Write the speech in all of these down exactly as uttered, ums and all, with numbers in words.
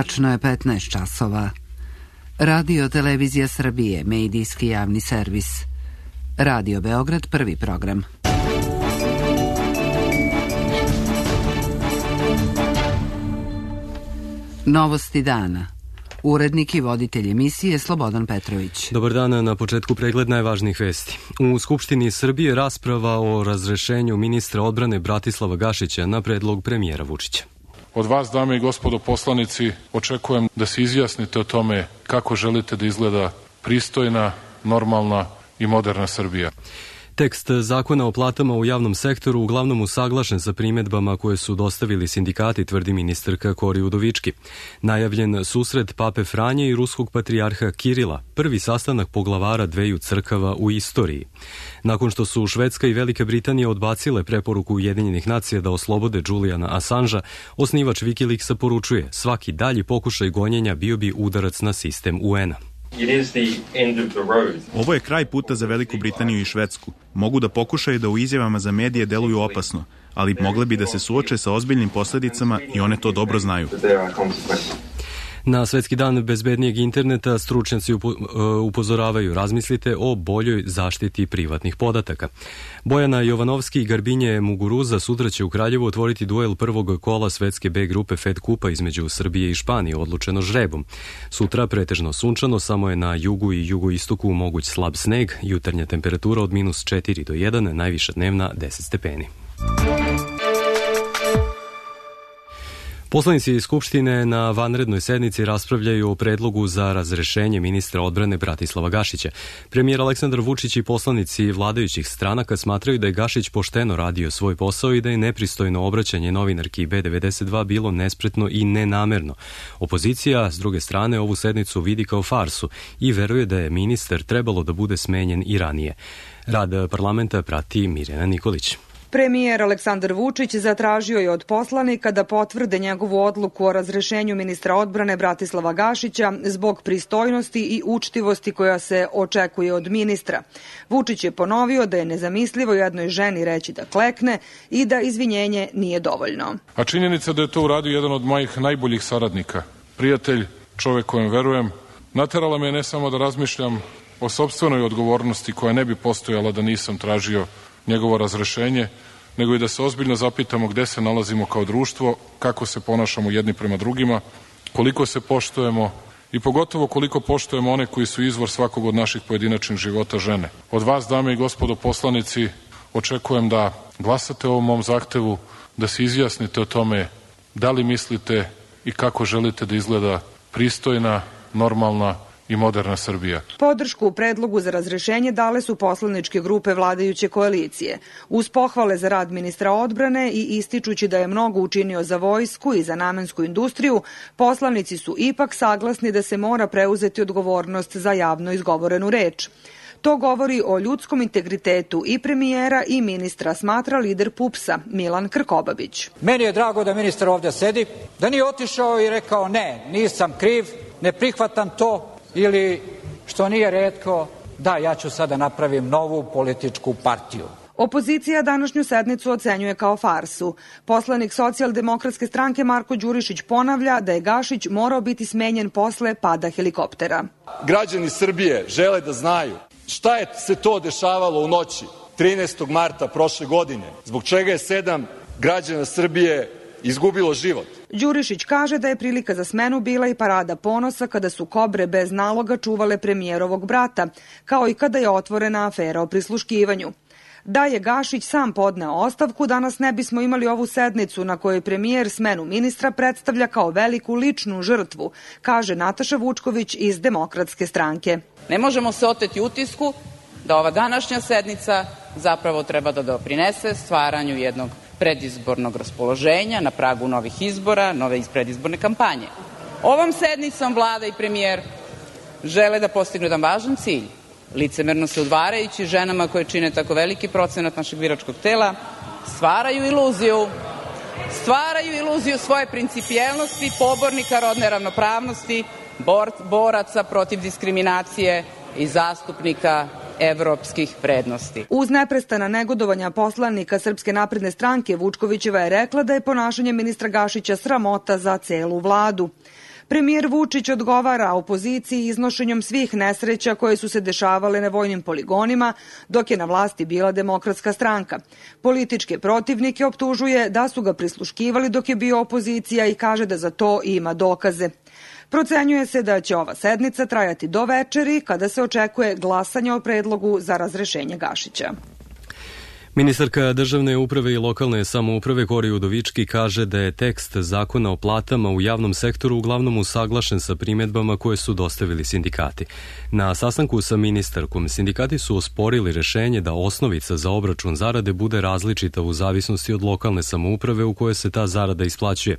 Tačno je petnaest časova. Radio Televizija Srbije, medijski javni servis. Radio Beograd, prvi program. Novosti dana. Urednik i voditelj emisije Slobodan Petrović. Dobar dan, na početku pregled najvažnijih vesti. U Skupštini Srbije rasprava o razrešenju ministra odbrane Bratislava Gašića na predlog premijera Vučića. Od vas, dame i gospodo poslanici, očekujem da se izjasnite o tome kako želite da izgleda pristojna, normalna i moderna Srbija. Tekst zakona o platama u javnom sektoru uglavnom usaglašen sa primedbama koje su dostavili sindikati, tvrdi ministarka Kori Udovički. Najavljen susret Pape Franje i ruskog patrijarha Kirila, prvi sastanak poglavara dveju crkava u istoriji. Nakon što su Švedska i Velika Britanija odbacile preporuku Ujedinjenih nacija da oslobode Juliana Assangea, osnivač Wikileaksa poručuje, svaki dalji pokušaj gonjenja bio bi udarac na sistem U N-a. Ovo je kraj puta za Veliku Britaniju i Švedsku. Mogu da pokušaju da u izjavama za medije deluju opasno, ali mogle bi da se suoče sa ozbiljnim posledicama i one to dobro znaju. Na Svetski dan bezbednijeg interneta stručnjaci upozoravaju, razmislite o boljoj zaštiti privatnih podataka. Bojana Jovanovski i Garbinje Muguruza sutra će u Kraljevu otvoriti duel prvog kola svetske B grupe Fed Kupa između Srbije i Španije, odlučeno žrebom. Sutra pretežno sunčano, samo je na jugu i jugoistoku moguć slab sneg, jutarnja temperatura od minus četiri do jedan, najviša dnevna deset stepeni. Poslanici Skupštine na vanrednoj sednici raspravljaju o predlogu za razrešenje ministra odbrane Bratislava Gašića. Premijer Aleksandar Vučić i poslanici vladajućih stranaka smatraju da je Gašić pošteno radio svoj posao i da je nepristojno obraćanje novinarki B devedeset dva bilo nespretno i nenamerno. Opozicija, s druge strane, ovu sednicu vidi kao farsu i veruje da je ministar trebalo da bude smenjen i ranije. Rad parlamenta prati Mirjana Nikolić. Premijer Aleksandar Vučić zatražio je od poslanika da potvrde njegovu odluku o razrešenju ministra odbrane Bratislava Gašića zbog pristojnosti i učtivosti koja se očekuje od ministra. Vučić je ponovio da je nezamislivo jednoj ženi reći da klekne i da izvinjenje nije dovoljno. A činjenica da je to uradio jedan od mojih najboljih saradnika, prijatelj, čovek kojem verujem, naterala me ne samo da razmišljam o sopstvenoj odgovornosti koja ne bi postojala da nisam tražio njegovo razrešenje, nego i da se ozbiljno zapitamo gde se nalazimo kao društvo, kako se ponašamo jedni prema drugima, koliko se poštujemo i pogotovo koliko poštujemo one koji su izvor svakog od naših pojedinačnih života, žene. Od vas, dame i gospodo poslanici, očekujem da glasate o ovom mom zahtevu, da se izjasnite o tome da li mislite i kako želite da izgleda pristojna, normalna i moderna Srbija. Podršku u predlogu za razrešenje dale su poslaničke grupe vladajuće koalicije. Uz pohvale za rad ministra odbrane i ističući da je mnogo učinio za vojsku i za namensku industriju, poslanici su ipak saglasni da se mora preuzeti odgovornost za javno izgovorenu reč. To govori o ljudskom integritetu i premijera i ministra, smatra lider P U P S-a Milan Krkobabić. Meni je drago da ministar ovdje sedi, da nije otišao i rekao ne, nisam kriv, ne prihvatam to, ili, što nije retko, da, ja ću sada napravim novu političku partiju. Opozicija današnju sednicu ocenjuje kao farsu. Poslanik Socijaldemokratske stranke Marko Đurišić ponavlja da je Gašić morao biti smenjen posle pada helikoptera. Građani Srbije žele da znaju šta je se to dešavalo u noći trinaestog marta prošle godine, zbog čega je sedam građana Srbije izgubilo život. Đurišić kaže da je prilika za smenu bila i parada ponosa kada su kobre bez naloga čuvale premijerovog brata, kao i kada je otvorena afera o prisluškivanju. Da je Gašić sam podneo ostavku, danas ne bismo imali ovu sednicu na kojoj premijer smenu ministra predstavlja kao veliku ličnu žrtvu, kaže Nataša Vučković iz Demokratske stranke. Ne možemo se oteti utisku da ova današnja sednica zapravo treba da doprinese stvaranju jednog predizbornog raspoloženja na pragu novih izbora, nove predizborne kampanje. Ovom sednicom vlada i premijer žele da postignu jedan važan cilj, licemerno se udvarajući ženama koje čine tako veliki procenat našeg biračkog tela, stvaraju iluziju, stvaraju iluziju svoje principijelnosti, pobornika rodne ravnopravnosti, bor, boraca protiv diskriminacije i zastupnika evropskih vrednosti. Uz neprestana negodovanja poslanika Srpske napredne stranke, Vučkovićeva je rekla da je ponašanje ministra Gašića sramota za celu vladu. Premijer Vučić odgovara opoziciji iznošenjem svih nesreća koje su se dešavale na vojnim poligonima dok je na vlasti bila Demokratska stranka. Političke protivnike optužuje da su ga prisluškivali dok je bio opozicija i kaže da za to ima dokaze. Procenjuje se da će ova sednica trajati do večeri kada se očekuje glasanje o predlogu za razrešenje Gašića. Ministarka državne uprave i lokalne samouprave Kori Udovički kaže da je tekst zakona o platama u javnom sektoru uglavnom usaglašen sa primjedbama koje su dostavili sindikati. Na sastanku sa ministarkom sindikati su osporili rešenje da osnovica za obračun zarade bude različita u zavisnosti od lokalne samouprave u kojoj se ta zarada isplaćuje.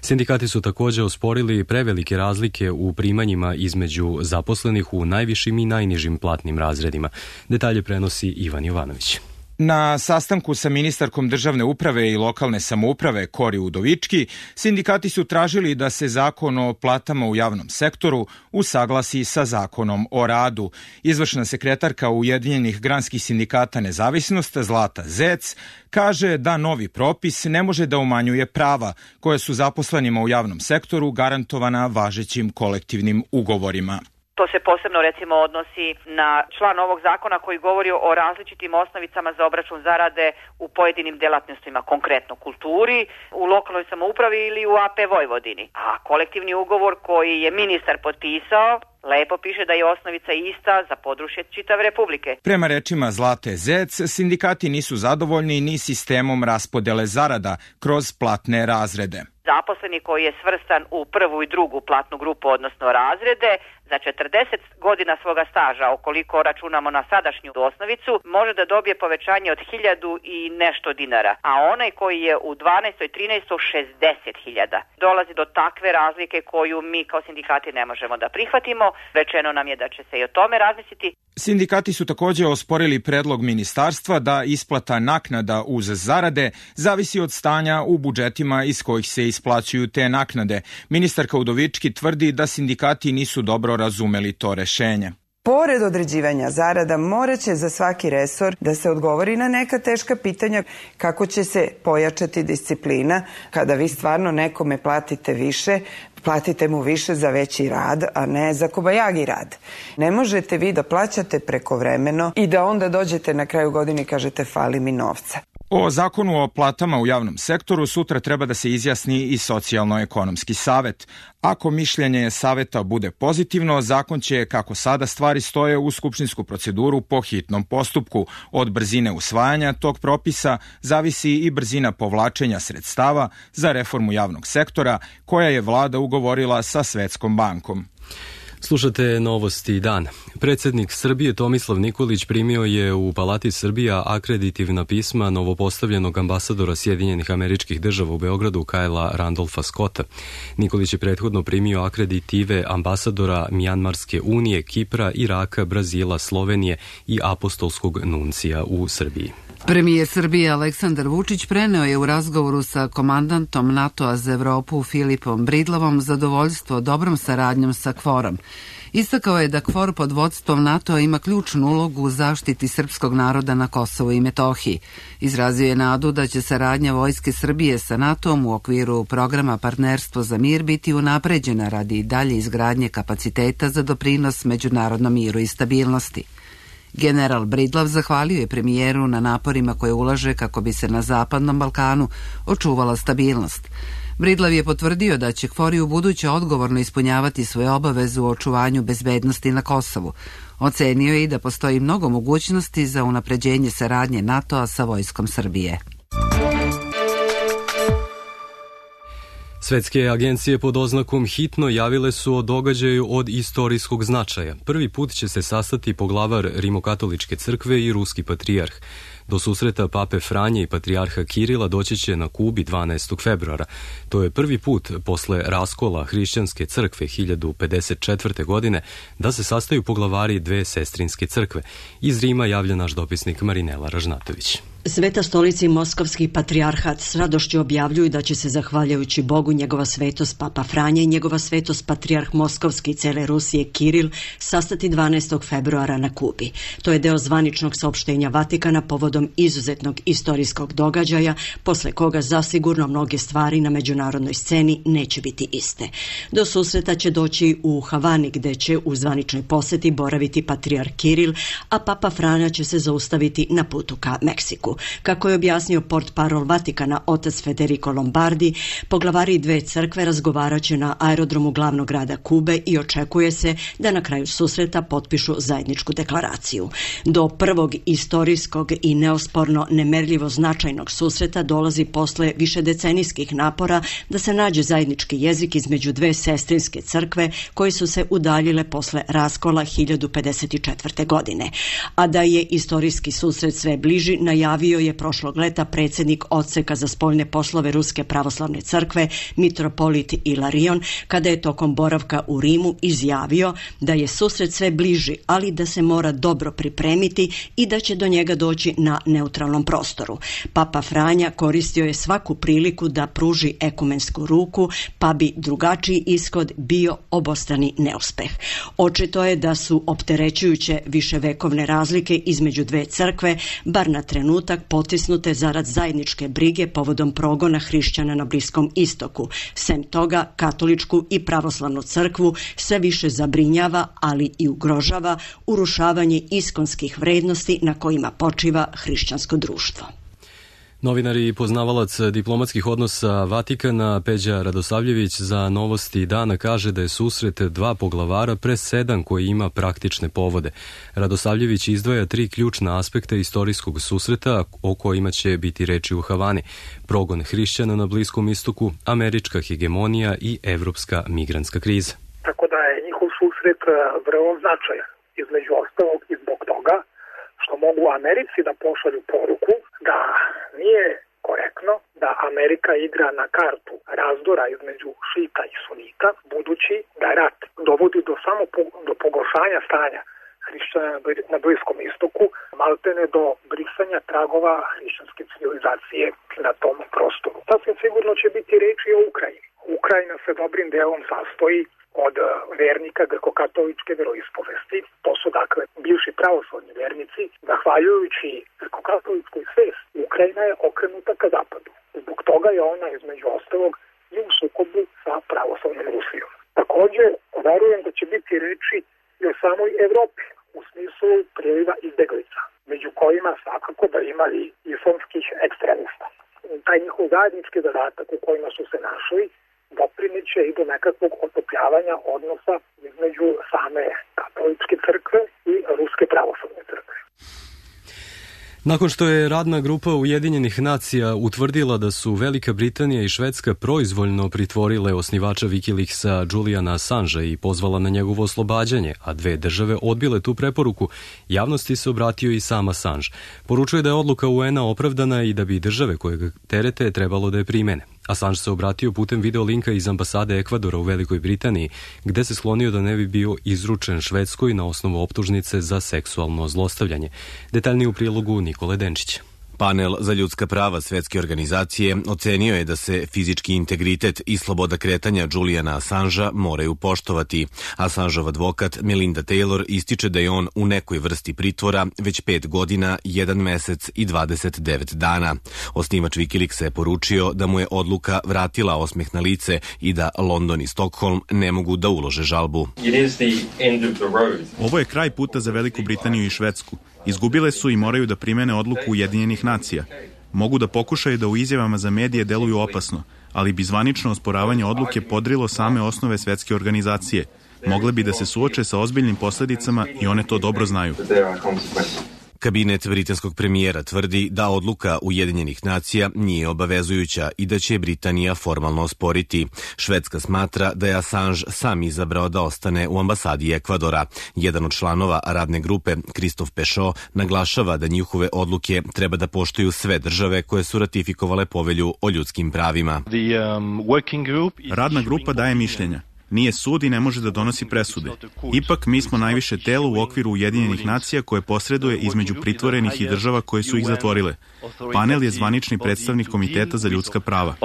Sindikati su također osporili prevelike razlike u primanjima između zaposlenih u najvišim i najnižim platnim razredima. Detalje prenosi Ivan Jovanović. Na sastanku sa ministarkom državne uprave i lokalne samouprave Kori Udovički, sindikati su tražili da se zakon o platama u javnom sektoru usaglasi sa zakonom o radu. Izvršna sekretarka Ujedinjenih granskih sindikata Nezavisnost Zlata Zec kaže da novi propis ne može da umanjuje prava koje su zaposlenima u javnom sektoru garantovana važećim kolektivnim ugovorima. To se posebno recimo odnosi na član ovog zakona koji govori o različitim osnovicama za obračun zarade u pojedinim delatnostima, konkretno kulturi, u lokalnoj samoupravi ili u A P Vojvodini. A kolektivni ugovor koji je ministar potpisao lepo piše da je osnovica ista za područje čitave Republike. Prema rečima Zlate Zec, sindikati nisu zadovoljni ni sistemom raspodele zarada kroz platne razrede. Zaposleni koji je svrstan u prvu i drugu platnu grupu, odnosno razrede, za četrdeset godina svoga staža, ukoliko računamo na sadašnju osnovicu, može da dobije povećanje od hiljadu i nešto dinara, a onaj koji je u dvanaestoj, trinaestoj, šezdeset hiljada. Dolazi do takve razlike koju mi kao sindikati ne možemo da prihvatimo. Rečeno nam je da će se i o tome razmisliti. Sindikati su također osporili predlog ministarstva da isplata naknada uz zarade zavisi od stanja u budžetima iz kojih se isplaćuju te naknade. Ministarka Udovički tvrdi da sindikati nisu dobro razumeli to rešenje. Pored određivanja zarada, morat će za svaki resor da se odgovori na neka teška pitanja kako će se pojačati disciplina. Kada vi stvarno nekome platite više, platite mu više za veći rad, a ne za kobajagi rad. Ne možete vi da plaćate prekovremeno i da onda dođete na kraju godine i kažete fali mi novca. O zakonu o platama u javnom sektoru sutra treba da se izjasni i Socijalno-ekonomski savet. Ako mišljenje saveta bude pozitivno, zakon će, kako sada stvari stoje, u skupštinsku proceduru po hitnom postupku. Od brzine usvajanja tog propisa zavisi i brzina povlačenja sredstava za reformu javnog sektora, koja je vlada ugovorila sa Svetskom bankom. Slušate Novosti dan. Predsjednik Srbije Tomislav Nikolić primio je u Palati Srbija akreditivna pisma novopostavljenog ambasadora Sjedinjenih Američkih Država u Beogradu Kajla Randolfa Scotta. Nikolić je prethodno primio akreditive ambasadora Mjanmarske unije, Kipra, Iraka, Brazila, Slovenije i apostolskog nuncija u Srbiji. Premijer Srbije Aleksandar Vučić preneo je u razgovoru sa komandantom NATO-a za Evropu Filipom Bridlavom zadovoljstvo dobrom saradnjom sa KFOR-om. Istakao je da KFOR pod vodstvom NATO-a ima ključnu ulogu u zaštiti srpskog naroda na Kosovu i Metohiji. Izrazio je nadu da će saradnja Vojske Srbije sa NATO-om u okviru programa Partnerstvo za mir biti unapređena radi dalje izgradnje kapaciteta za doprinos međunarodnom miru i stabilnosti. General Bridlav zahvalio je premijeru na naporima koje ulaže kako bi se na Zapadnom Balkanu očuvala stabilnost. Bridlav je potvrdio da će KFOR i u buduće odgovorno ispunjavati svoje obaveze u očuvanju bezbednosti na Kosovu. Ocenio je i da postoji mnogo mogućnosti za unapređenje saradnje NATO-a sa Vojskom Srbije. Svetske agencije pod oznakom hitno javile su o događaju od istorijskog značaja. Prvi put će se sastati poglavar Rimokatoličke crkve i ruski patrijarh. Do susreta pape Franje i patrijarha Kirila doći će na Kubi dvanaestog februara. To je prvi put posle raskola hrišćanske crkve hiljadu pedeset četvrte. godine da se sastaju poglavari dve sestrinske crkve. Iz Rima javlja naš dopisnik Marinela Ražnatović. Sveta stolica i Moskovski patrijarhat s radošću objavljuju da će se, zahvaljujući Bogu, njegova svetost Papa Franja i njegova svetost patrijarh Moskovski i cele Rusije Kiril sastati dvanaestog februara na Kubi. To je deo zvaničnog saopštenja Vatikana povodom izuzetnog istorijskog događaja, posle koga zasigurno mnoge stvari na međunarodnoj sceni neće biti iste. Do susreta će doći u Havani, gde će u zvaničnoj poseti boraviti patrijarh Kiril, a Papa Franja će se zaustaviti na putu ka Meksiku. Kako je objasnio portparol Vatikana otac Federico Lombardi, poglavari dve crkve razgovaraće na aerodromu glavnog grada Kube i očekuje se da na kraju susreta potpišu zajedničku deklaraciju. Do prvog istorijskog i neosporno nemerljivo značajnog susreta dolazi posle višedecenijskih napora da se nađe zajednički jezik između dve sestrinske crkve koje su se udaljile posle raskola hiljadu pedeset četvrte. godine. A da je istorijski susret sve bliži, najavio je prošlog leta predsjednik Odseka za spoljne poslove Ruske pravoslavne crkve, mitropolit Ilarion, kada je tokom boravka u Rimu izjavio da je susret sve bliži, ali da se mora dobro pripremiti i da će do njega doći na neutralnom prostoru. Papa Franja koristio je svaku priliku da pruži ekumensku ruku, pa bi drugačiji ishod bio obostrani neuspeh. Očito je da su opterećujuće viševekovne razlike između dve crkve, bar na trenutak, potisnute zarad zajedničke brige povodom progona hrišćana na Bliskom istoku. Sem toga, katoličku i pravoslavnu crkvu sve više zabrinjava, ali i ugrožava urušavanje iskonskih vrednosti na kojima počiva hrišćansko društvo. Novinar i poznavalac diplomatskih odnosa Vatikana Peđa Radosavljević za Novosti dana kaže da je susret dva poglavara presedan koji ima praktične povode. Radosavljević izdvaja tri ključna aspekta istorijskog susreta o kojima će biti reči u Havani: progon hrišćana na Bliskom istoku, američka hegemonija i evropska migrantska kriza. Tako da je njihov susret vrlo značajan, između ostalog i zbog toga što mogu Americi da pošalju poruku da nije korektno da Amerika igra na kartu razdora između šita i sunita, budući da rat dovodi do samo po, do pogoršanja stanja hrišćana na Bliskom istoku, maltene do brisanja tragova hrišćanske civilizacije na tom prostoru. Sasvim sigurno će biti reči o Ukrajini. Ukrajina se dobrim delom sastoji od vernika greko-katoličke veroispovesti. To su dakle bivši pravoslavni vernici. Zahvaljujući greko-katoličkoj svesti, Ukrajina je okrenuta ka zapadu. Zbog toga je ona između ostalog i u sukobu sa pravoslavnom Rusijom. Također, verujem da će biti reči i o samoj Evropi u smislu priliva izbeglica, među kojima svakako da imali islamskih ekstremista. Taj njihov zajednički zadatak u kojima su se našli doprineće i do nekakvog otopljavanja odnosa između same katoličke crkve i ruske pravoslavne crkve. Nakon što je radna grupa Ujedinjenih nacija utvrdila da su Velika Britanija i Švedska proizvoljno pritvorile osnivača Wikileaksa Juliana Assangea i pozvala na njegovo oslobađanje, a dve države odbile tu preporuku, javnosti se obratio i sam Assange. Poručuje da je odluka U N-a opravdana i da bi države koje ga terete trebalo da je primene. Assange se obratio putem videolinka iz ambasade Ekvadora u Velikoj Britaniji, gde se sklonio da ne bi bio izručen Švedskoj na osnovu optužnice za seksualno zlostavljanje. Detaljnije u prilogu Nikole Denčića. Panel za ljudska prava Svetske organizacije ocenio je da se fizički integritet i sloboda kretanja Juliana Assangea moraju poštovati. Assangeov advokat Melinda Taylor ističe da je on u nekoj vrsti pritvora već pet godina, jedan mesec i dvadeset devet dana. Osnivač Wikileaksa je poručio da mu je odluka vratila osmeh na lice i da London i Stockholm ne mogu da ulože žalbu. Ovo je kraj puta za Veliku Britaniju i Švedsku. Izgubile su i moraju da primene odluku Ujedinjenih nacija. Mogu da pokušaju da u izjavama za medije deluju opasno, ali bi zvanično osporavanje odluke podrilo same osnove Svetske organizacije. Mogle bi da se suoče sa ozbiljnim posledicama i one to dobro znaju. Kabinet britanskog premijera tvrdi da odluka Ujedinjenih nacija nije obavezujuća i da će Britanija formalno osporiti. Švedska smatra da je Assange sam izabrao da ostane u ambasadi Ekvadora. Jedan od članova radne grupe, Christophe Pechot, naglašava da njihove odluke treba da poštuju sve države koje su ratifikovale povelju o ljudskim pravima. Radna grupa daje mišljenja. Nije sud i ne može da donosi presude. Ipak mi smo najviše telo u okviru Ujedinjenih nacija koje posreduje između pritvorenih i država koje su ih zatvorile. Panel je zvanični predstavnik Komiteta za ljudska prava.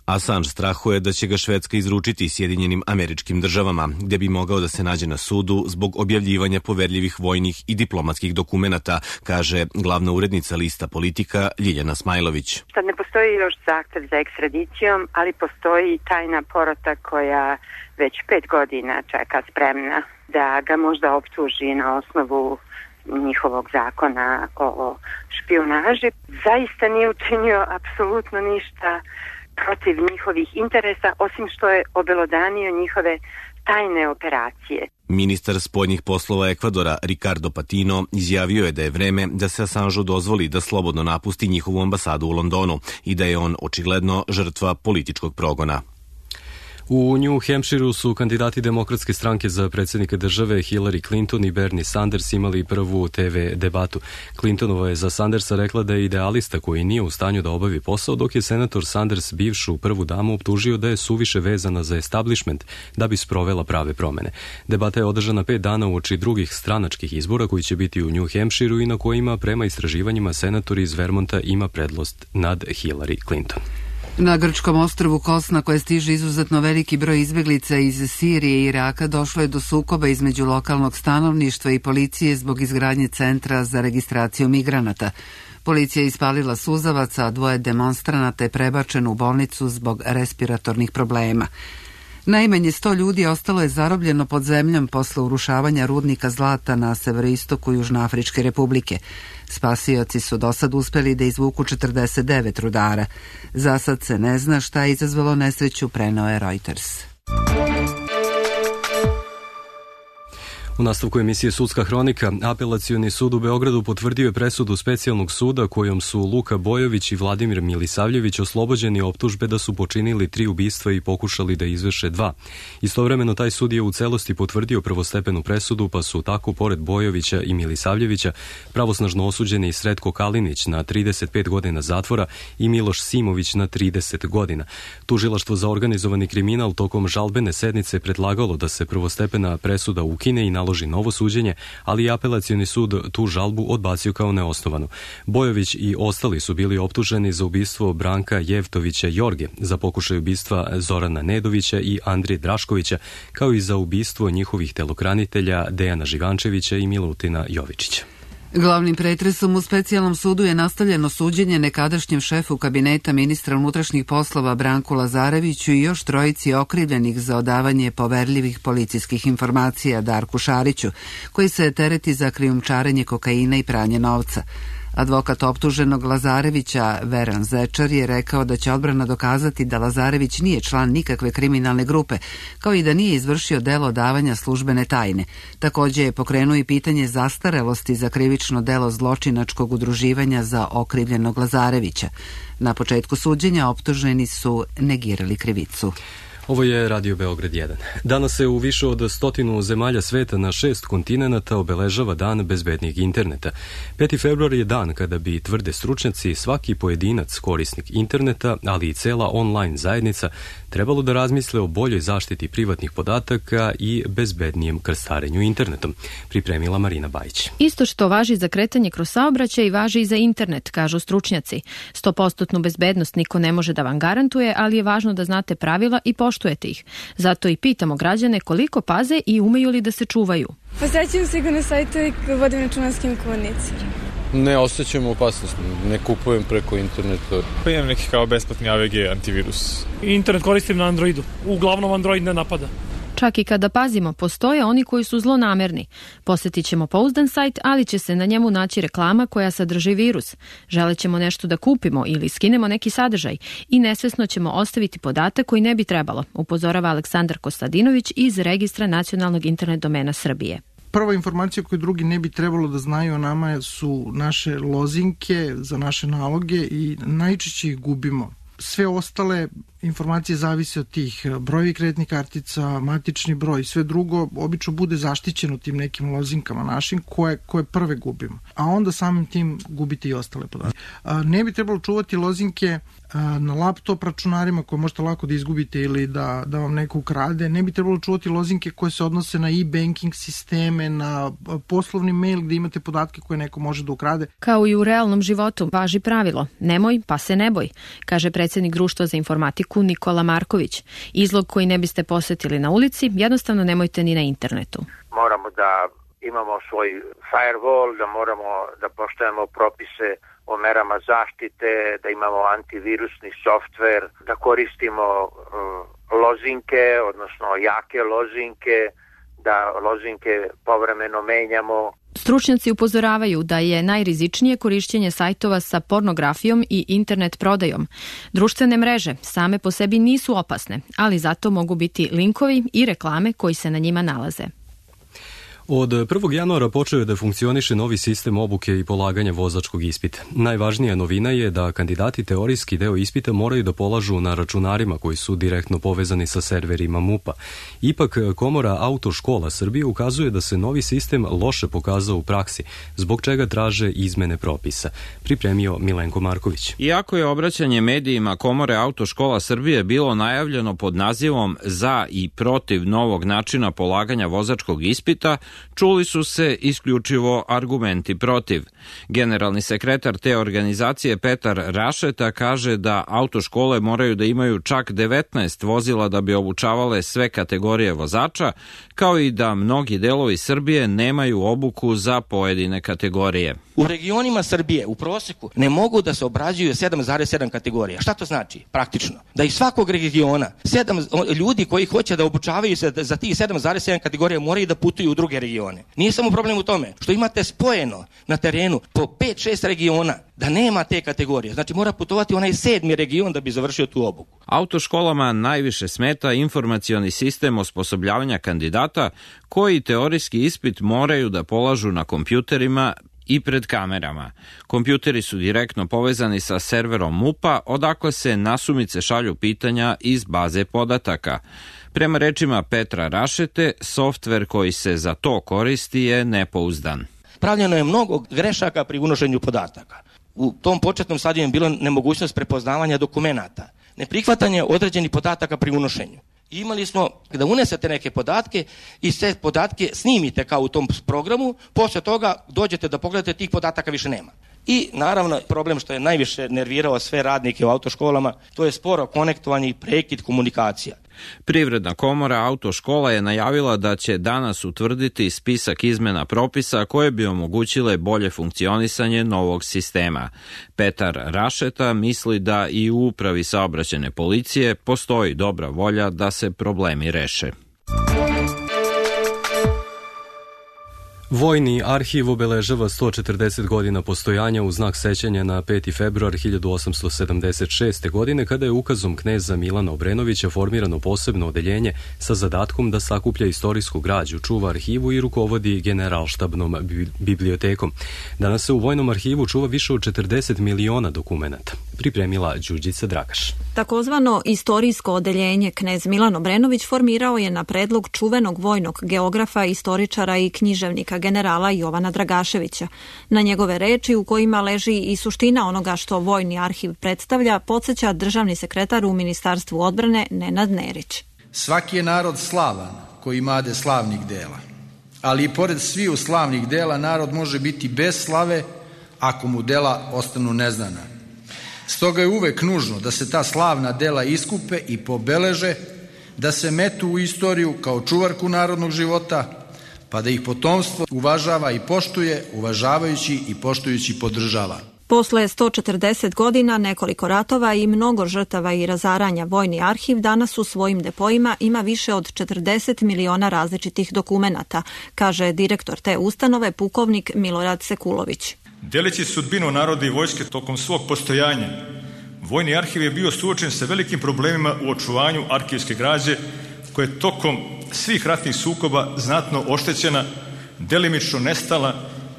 Assange strahuje da će ga Švedska izručiti Sjedinjenim Američkim Državama, gde bi mogao da se nađe na sudu zbog objavljivanja poverljivih vojnih i diplomatskih dokumenata, kaže glavna urednica lista Politika Ljiljana Smajlović. Sad ne postoji još zahtev za ekstradicijom, ali postoji tajna porota koja već pet godina čeka spremna da ga možda optuži na osnovu njihovog zakona o špijunaži. Zaista nije učinio apsolutno ništa protiv njihovih interesa, osim što je obelodanio njihove tajne operacije. Ministar spoljnih poslova Ekvadora Ricardo Patino izjavio je da je vreme da se Assangeu dozvoli da slobodno napusti njihovu ambasadu u Londonu i da je on očigledno žrtva političkog progona. U New Hampshireu su kandidati demokratske stranke za predsjednika države Hillary Clinton i Bernie Sanders imali prvu te ve debatu. Clintonova je za Sandersa rekla da je idealista koji nije u stanju da obavi posao, dok je senator Sanders bivšu prvu damu optužio da je suviše vezana za establishment da bi sprovela prave promene. Debata je održana pet dana uoči drugih stranačkih izbora koji će biti u New Hampshireu i na kojima prema istraživanjima senator iz Vermonta ima prednost nad Hillary Clinton. Na grčkom ostrvu Kos, na koje stiže izuzetno veliki broj izbeglica iz Sirije i Iraka, došlo je do sukoba između lokalnog stanovništva i policije zbog izgradnje centra za registraciju migranata. Policija je ispalila suzavaca, a dvoje demonstranata je prebačeno u bolnicu zbog respiratornih problema. Najmanje sto ljudi ostalo je zarobljeno pod zemljom posle urušavanja rudnika zlata na severoistoku Južnoafričke republike. Spasioci su do sad uspeli da izvuku četrdeset devet rudara. Za sad se ne zna šta je izazvalo nesreću, preneo je Reuters. U nastavku emisije Sudska hronika, Apelacioni sud u Beogradu potvrdio je presudu specijalnog suda kojom su Luka Bojović i Vladimir Milisavljević oslobođeni optužbe da su počinili tri ubistva i pokušali da izvrše dva. Istovremeno taj sud je u celosti potvrdio prvostepenu presudu, pa su tako pored Bojovića i Milisavljevića pravosnažno osuđeni Sretko Kalinić na trideset pet godina zatvora i Miloš Simović na trideset godina. Tužilaštvo za organizovani kriminal tokom žalbene sednice predlagalo da se prvostepena presuda ukine i naloži novo suđenje, ali Apelacioni sud tu žalbu odbacio kao neosnovanu. Bojović i ostali su bili optuženi za ubistvo Branka Jevtovića Jorge, za pokušaj ubistva Zorana Nedovića i Andrije Draškovića, kao i za ubistvo njihovih telokranitelja Dejana Živančevića i Milutina Jovičića. Glavnim pretresom u specijalnom sudu je nastavljeno suđenje nekadašnjem šefu kabineta ministra unutrašnjih poslova Branku Lazareviću i još trojici okrivljenih za odavanje poverljivih policijskih informacija Darku Šariću, koji se tereti za krijumčarenje kokaina i pranje novca. Advokat optuženog Lazarevića, Veran Zečar, je rekao da će odbrana dokazati da Lazarević nije član nikakve kriminalne grupe, kao i da nije izvršio delo davanja službene tajne. Takođe je pokrenuo i pitanje zastarelosti za krivično delo zločinačkog udruživanja za okrivljenog Lazarevića. Na početku suđenja optuženi su negirali krivicu. Ovo je Radio Beograd jedan. Danas se u više od stotinu zemalja sveta na šest kontinenata obeležava Dan bezbednijeg interneta. peti februar je dan kada bi, tvrde stručnjaci, svaki pojedinac korisnik interneta, ali i cela online zajednica, trebalo da razmisle o boljoj zaštiti privatnih podataka i bezbednijem krstarenju internetom, pripremila Marina Bajić. Isto što važi za kretanje kroz saobraćaj važi i za internet, kažu stručnjaci. sto posto bezbednost niko ne može da vam garantuje, ali je važno da znate pravila i poštujete ih. Zato i pitamo građane koliko paze i umeju li da se čuvaju. Posjećujem sigurno sajtove i vodim računa s kim komuniciram. Ne osjećam opasnost, ne kupujem preko interneta. Pa imam neki kao besplatni A V G antivirus. Internet koristim na Androidu, uglavnom Android ne napada. Čak i kada pazimo, postoje oni koji su zlonamerni. Posjetit ćemo pouzdan sajt, ali će se na njemu naći reklama koja sadrži virus. Želećemo nešto da kupimo ili skinemo neki sadržaj i nesvesno ćemo ostaviti podatak koji ne bi trebalo, upozorava Aleksandar Kostadinović iz Registra nacionalnog internet domena Srbije. Prva informacija koju drugi ne bi trebalo da znaju o nama su naše lozinke za naše naloge i najčešće ih gubimo. Sve ostale informacije zavise od tih brojevi kreditnih kartica, matični broj i sve drugo obično bude zaštićeno tim nekim lozinkama našim koje, koje prve gubimo. A onda samim tim gubite i ostale podatke. Ne bi trebalo čuvati lozinke na laptop računarima koje možete lako da izgubite ili da, da vam neko ukrade. Ne bi trebalo čuvati lozinke koje se odnose na e-banking sisteme, na poslovni mail gde imate podatke koje neko može da ukrade. Kao i u realnom životu važi pravilo nemoj pa se ne boj, kaže predsjednik Društva za informatiku Nikola Marković. Izlog koji ne biste posetili na ulici, jednostavno nemojte ni na internetu. Moramo da imamo svoj firewall, da moramo da poštujemo propise o merama zaštite, da imamo antivirusni softver, da koristimo uh, lozinke, odnosno jake lozinke, da lozinke povremeno menjamo. Stručnjaci upozoravaju da je najrizičnije korišćenje sajtova sa pornografijom i internet prodajom. Društvene mreže same po sebi nisu opasne, ali zato mogu biti linkovi i reklame koji se na njima nalaze. Od prvog januara počeo je da funkcioniše novi sistem obuke i polaganja vozačkog ispita. Najvažnija novina je da kandidati teorijski deo ispita moraju da polažu na računarima koji su direktno povezani sa serverima MUP-a. Ipak, Komora autoškola Srbije ukazuje da se novi sistem loše pokazao u praksi, zbog čega traže izmene propisa. Pripremio Milenko Marković. Iako je obraćanje medijima Komore autoškola Srbije bilo najavljeno pod nazivom za i protiv novog načina polaganja vozačkog ispita, čuli su se isključivo argumenti protiv. Generalni sekretar te organizacije Petar Rašeta kaže da autoškole moraju da imaju čak devetnaest vozila da bi obučavale sve kategorije vozača, kao i da mnogi delovi Srbije nemaju obuku za pojedine kategorije. U regionima Srbije u proseku ne mogu da se obrađuju sedam zarez sedam kategorija. Šta to znači? Praktično. Da iz svakog regiona sedam ljudi koji hoće da obučavaju se za tih sedam zarez sedam kategorija moraju da putuju u druge regione. Nije samo problem u tome što imate spojeno na terenu po pet šest regiona da nema te kategorije. Znači mora putovati onaj sedmi region da bi završio tu obuku. Autoškolama najviše smeta informacioni sistem osposobljavanja kandidata koji teorijski ispit moraju da polažu na kompjuterima i pred kamerama. Kompjuteri su direktno povezani sa serverom MUP-a, odakle se nasumice šalju pitanja iz baze podataka. Prema rečima Petra Rašete, softver koji se za to koristi je nepouzdan. Pravljeno je mnogo grešaka pri unošenju podataka. U tom početnom stadiju je bilo nemogućnost prepoznavanja dokumenata, neprihvatanje određenih podataka pri unošenju. I imali smo da unesete neke podatke i sve podatke snimite kao u tom programu, posle toga dođete da pogledate, tih podataka više nema. I naravno problem što je najviše nervirao sve radnike u autoškolama, to je sporo konektovanje i prekid komunikacija. Privredna komora autoškola je najavila da će danas utvrditi spisak izmena propisa koje bi omogućile bolje funkcionisanje novog sistema. Petar Rašeta misli da i u upravi saobraćajne policije postoji dobra volja da se problemi reše. Vojni arhiv obeležava sto četrdeset godina postojanja u znak sećanja na peti februar hiljadu osamsto sedamdeset šeste. godine kada je ukazom kneza Milana Obrenovića formirano posebno odeljenje sa zadatkom da sakuplja istorijsku građu, čuva arhivu i rukovodi generalštabnom bibliotekom. Danas se u Vojnom arhivu čuva više od četrdeset miliona dokumenata. Pripremila Đurđica Dragaš. Takozvano istorijsko odeljenje knez Milan Obrenović formirao je na predlog čuvenog vojnog geografa, istoričara i književnika generala Jovana Dragaševića. Na njegove reči, u kojima leži i suština onoga što Vojni arhiv predstavlja, podsjeća državni sekretar u Ministarstvu odbrane Nenad Nerić. Svaki je narod slavan koji imade slavnih dela, ali i pored sviju slavnih dela narod može biti bez slave ako mu dela ostanu neznana. Stoga je uvek nužno da se ta slavna dela iskupe i pobeleže, da se metu u istoriju kao čuvarku narodnog života, pa da ih potomstvo uvažava i poštuje, uvažavajući i poštujući podržava. Posle sto četrdeset godina, nekoliko ratova i mnogo žrtava i razaranja, Vojni arhiv danas u svojim depoima ima više od četrdeset miliona različitih dokumenata, kaže direktor te ustanove, pukovnik Milorad Sekulović. Deleći sudbinu naroda i vojske tokom svog postojanja, Vojni arhiv je bio suočen sa velikim problemima u očuvanju arhivske građe, koja je tokom svih ratnih sukoba znatno oštećena, delimično nestala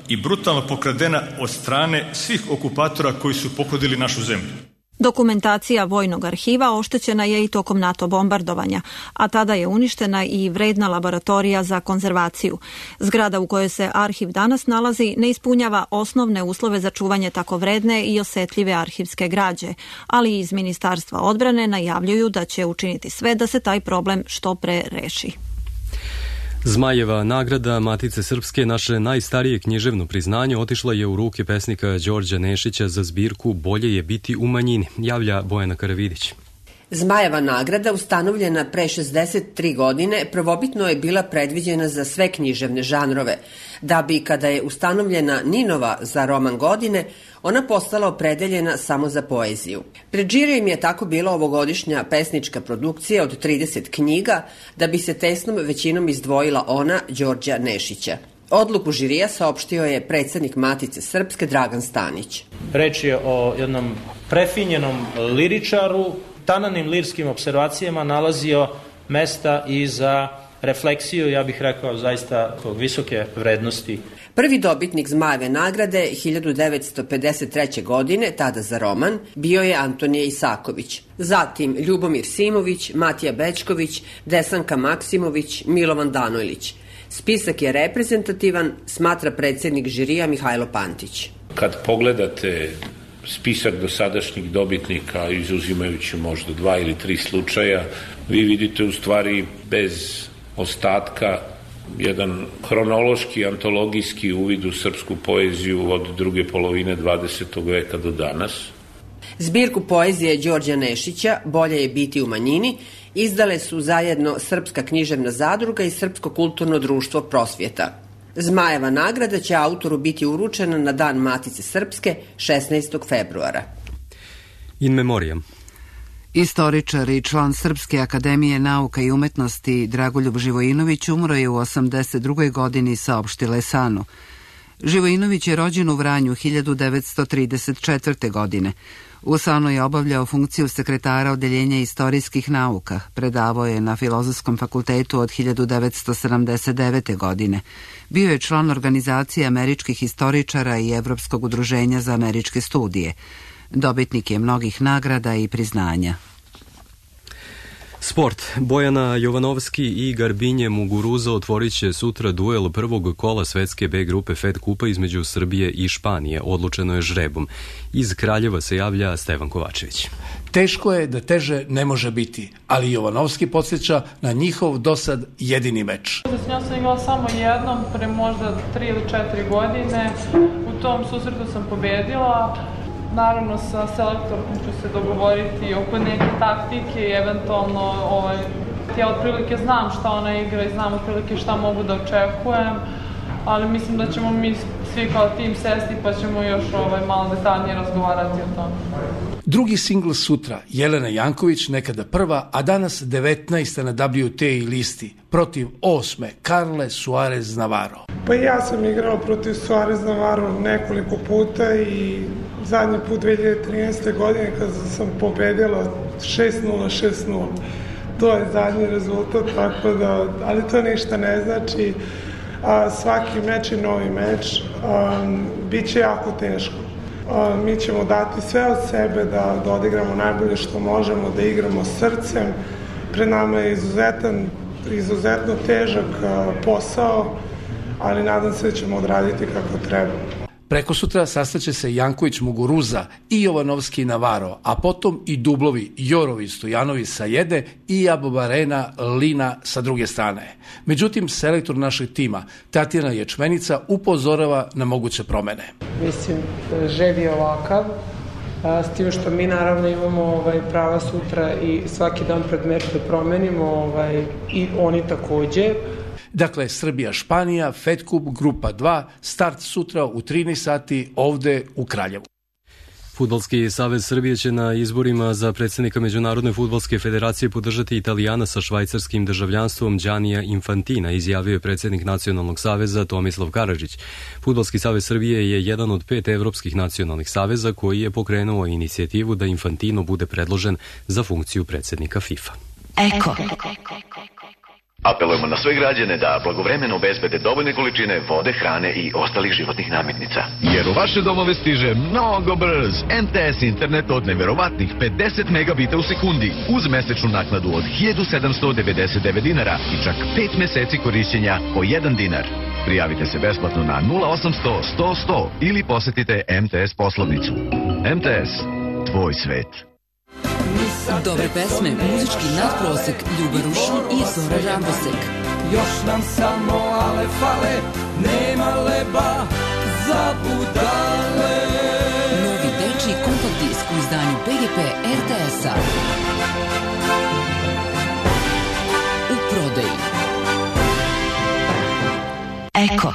i brutalno pokradena od strane svih okupatora koji su pohodili našu zemlju. Dokumentacija vojnog arhiva oštećena je i tokom NATO bombardovanja, a tada je uništena i vredna laboratorija za konzervaciju. Zgrada u kojoj se arhiv danas nalazi ne ispunjava osnovne uslove za čuvanje tako vredne i osetljive arhivske građe, ali iz Ministarstva odbrane najavljuju da će učiniti sve da se taj problem što pre reši. Zmajeva nagrada Matice Srpske, naše najstarije književno priznanje, otišla je u ruke pesnika Đorđa Nešića za zbirku Bolje je biti u manjini, javlja Bojana Karavidić. Zmajeva nagrada, ustanovljena pre šezdeset tri godine, prvobitno je bila predviđena za sve književne žanrove, da bi, kada je ustanovljena Ninova za roman godine, ona postala opredeljena samo za poeziju. Pred žirijem je tako bila ovogodišnja pesnička produkcija od trideset knjiga, da bi se tesnom većinom izdvojila ona Đorđa Nešića. Odluku žirija saopštio je predsednik Matice Srpske Dragan Stanić. Reč je o jednom prefinjenom liričaru, tananim lirskim observacijama nalazio mesta i za refleksiju, ja bih rekao, zaista visoke vrednosti. Prvi dobitnik Zmajeve nagrade hiljadu devetsto pedeset treće. godine, tada za roman, bio je Antonije Isaković. Zatim Ljubomir Simović, Matija Bečković, Desanka Maksimović, Milovan Danojlić. Spisak je reprezentativan, smatra predsednik žirija Mihajlo Pantić. Kad pogledate spisak dosadašnjih dobitnika, izuzimajući možda dva ili tri slučaja, vi vidite u stvari bez ostatka jedan hronološki, antologijski uvid u srpsku poeziju od druge polovine dvadesetog veka do danas. Zbirku poezije Đorđa Nešića Bolje je biti u manjini izdale su zajedno Srpska književna zadruga i Srpsko kulturno društvo Prosvjeta. Zmajeva nagrada će autoru biti uručena na Dan Matice Srpske šesnaestog februara. In memoriam. Istoričar i član Srpske akademije nauka i umetnosti Dragoljub Živojinović umro je u osamdeset drugoj. godini, saopštila je SANU. Živojinović je rođen u Vranju hiljadu devetsto trideset četvrte. godine. U SANU je obavljao funkciju sekretara Odeljenja istorijskih nauka. Predavao je na Filozofskom fakultetu od hiljadu devetsto sedamdeset devete. godine. Bio je član organizacije američkih istoričara i Evropskog udruženja za američke studije. Dobitnik je mnogih nagrada i priznanja. Sport. Bojana Jovanovski i Garbinje Muguruza otvorit će sutra duel prvog kola svetske B grupe Fed kupa između Srbije i Španije. Odlučeno je žrebom. Iz Kraljeva se javlja Stevan Kovačević. Teško je da teže ne može biti, ali Jovanovski podsjeća na njihov dosad jedini meč. S njom sam igrala samo jednom, pre možda tri ili četiri godine. U tom susretu sam pobedila. Naravno, sa selektorkom ću se dogovoriti oko neke taktike i eventualno ovaj, ja otprilike znam šta ona igra i znam otprilike šta mogu da očekujem, ali mislim da ćemo mi svi kao tim sesti pa ćemo još ovaj, malo detaljnije razgovarati o tome. Drugi singl sutra, Jelena Janković, nekada prva, a danas devetnaesta na W T A listi, protiv osme, Carle Suarez Navarro. Pa ja sam igrala protiv Suarez Navarro nekoliko puta i zadnji put dve hiljade trinaeste. godine kada sam pobedila šest nula, šest nula. To je zadnji rezultat, tako da, ali to ništa ne znači. A, svaki meč je novi meč, a, bit će jako teško. A, mi ćemo dati sve od sebe da, da odigramo najbolje što možemo, da igramo srcem. Pred nama je izuzetan, izuzetno težak a, posao, ali nadam se da ćemo odraditi kako treba. Preko sutra sastaće se Janković Muguruza i Jovanovski Navarro, a potom i dublovi Jorovi Stojanovi sa jedne i Abobarena Lina sa druge strane. Međutim, selektor našeg tima, Tatjana Ječmenica, upozorava na moguće promene. Mislim, želj je ovakav, s tim što mi naravno imamo ovaj, prava sutra i svaki dan pred meč da promenimo ovaj, i oni takođe. Dakle, Srbija-Španija, Fed Cup, grupa dva, start sutra u trinaest sati ovde u Kraljevu. Fudbalski savez Srbije će na izborima za predsjednika Međunarodne fudbalske federacije podržati Italijana sa švajcarskim državljanstvom Giannija Infantina, izjavio je predsjednik Nacionalnog saveza Tomislav Karadžić. Fudbalski savez Srbije je jedan od pet evropskih nacionalnih saveza koji je pokrenuo inicijativu da Infantino bude predložen za funkciju predsjednika FIFA. Eko. Apelujemo na sve građane da blagovremeno obezbede dovoljne količine vode, hrane i ostalih životnih namirnica. Jer u vaše domove stiže mnogo brz M T S internet od neverovatnih pedeset megabita u sekundi uz mesečnu naknadu od hiljadu sedamsto devedeset devet dinara i čak pet meseci korišćenja po jedan dinar. Prijavite se besplatno na nula osamsto sto sto ili posetite M T S poslovnicu. M T S, tvoj svet. Dobre pesme, muzički nadprosek, Ljuba Rušin i Zora Rambosek. Još nam samo ale fale, nema leba za budale. Novi dečiji kompakt disk u izdanju P G P R T S-a. U prodaji. Eko.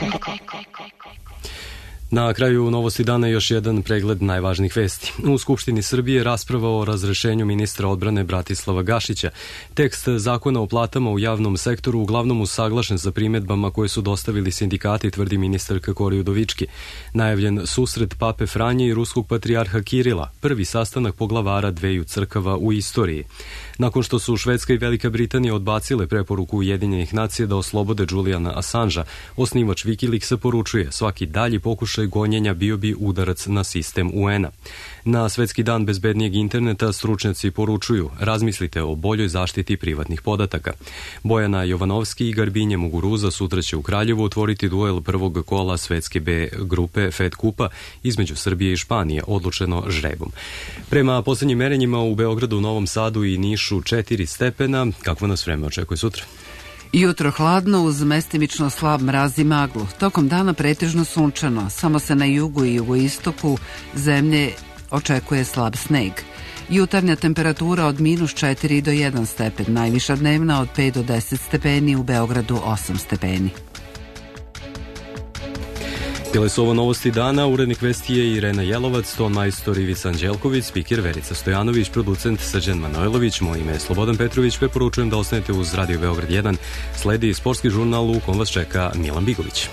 Na kraju Novosti dana još jedan pregled najvažnijih vesti. U Skupštini Srbije rasprava o razrešenju ministra odbrane Bratislava Gašića. Tekst zakona o platama u javnom sektoru uglavnom usaglašen sa primedbama koje su dostavili sindikati, tvrdi ministarka Kori Udovički. Najavljen susret Pape Franje i ruskog patrijarha Kirila, prvi sastanak poglavara dveju crkava u istoriji. Nakon što su Švedska i Velika Britanija odbacile preporuku Ujedinjenih nacija da oslobode Juliana Assangea, osnivač Wikileaksa poručuje svaki dalji pokušaj gonjenja bio bi udarac na sistem U N-a. Na Svetski dan bezbednijeg interneta stručnjaci poručuju razmislite o boljoj zaštiti privatnih podataka. Bojana Jovanovski i Garbinje Muguruza sutra će u Kraljevu otvoriti duel prvog kola Svetske B grupe Fed Kupa između Srbije i Španije, odlučeno žrebom. Prema poslednjim merenjima u Beogradu, Novom Sadu i Nišu četiri stepena. Kakvo nas vreme očekuje sutra? Jutro hladno uz mestimično slab mraz i maglu. Tokom dana pretežno sunčano, samo se na jugu i jugoistoku zemlje očekuje slab sneg. Jutarnja temperatura od minus četiri do jedan stepen, najviša dnevna od pet do deset stepeni, u Beogradu osam stepeni. Bile su ovo Novosti dana, urednik vesti je Irena Jelovac, ton majstor Ivica Anđelković, spiker Verica Stojanović, producent Srđan Manojlović, moje ime je Slobodan Petrović, preporučujem da ostanete uz Radio Beograd jedan, sledi sportski žurnal u kom vas čeka Milan Bigović.